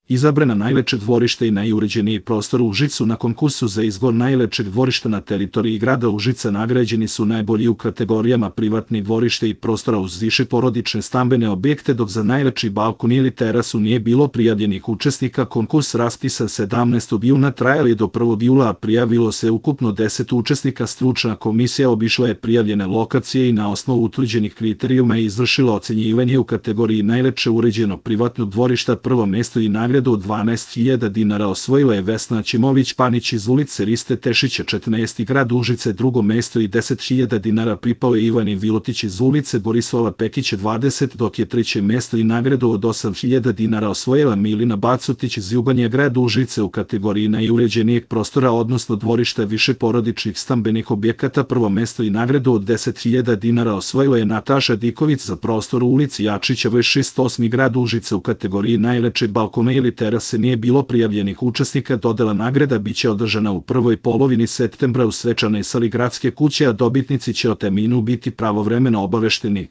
Izabrana najlepše dvorište i najuređeniji prostor u Užicu. Na konkursu za izbor najlepšeg dvorišta na teritoriji grada Užica nagrađeni su najbolji u kategorijama privatni dvorište i prostora uz više porodične stambene objekte, dok za najlepši balkon ili terasu nije bilo prijavljenih učesnika. Konkurs raspisan 17. juna, trajali do 1. jula, a prijavilo se ukupno 10 učesnika. Stručna komisija obišla je prijavljene lokacije i na osnovu utvrđenih kriterijuma izvršila ocenjivanje u kategoriji najlepše uređeno privatno dvorišta. Prvo mesto i nagradu od 12.000 dinara osvojila je Vesna Ćimović-Panić iz ulice Riste Tešića, 14. grad Užice. Drugo mesto i 10.000 dinara pripao je Ivani Vilotić iz ulice Borislava Pekića, 20, dok je treće mesto i nagradu od 8.000 dinara osvojila Milina Bacutić iz Ljubanje, grad Užice, u kategoriji najuređenijeg prostora odnosno dvorišta više porodičnih stambenih objekata. Prvo mesto i nagradu od 10.000 dinara osvojila je Nataša Diković za prostor u ulici Jačića, 28. grad Užice, u kategoriji najlepšeg balkona ili terase nije bilo prijavljenih učesnika. Dodela nagrada biće održana u prvoj polovini septembra u svečanoj sali gradske kuće, a dobitnici će o terminu biti pravovremeno obavešteni.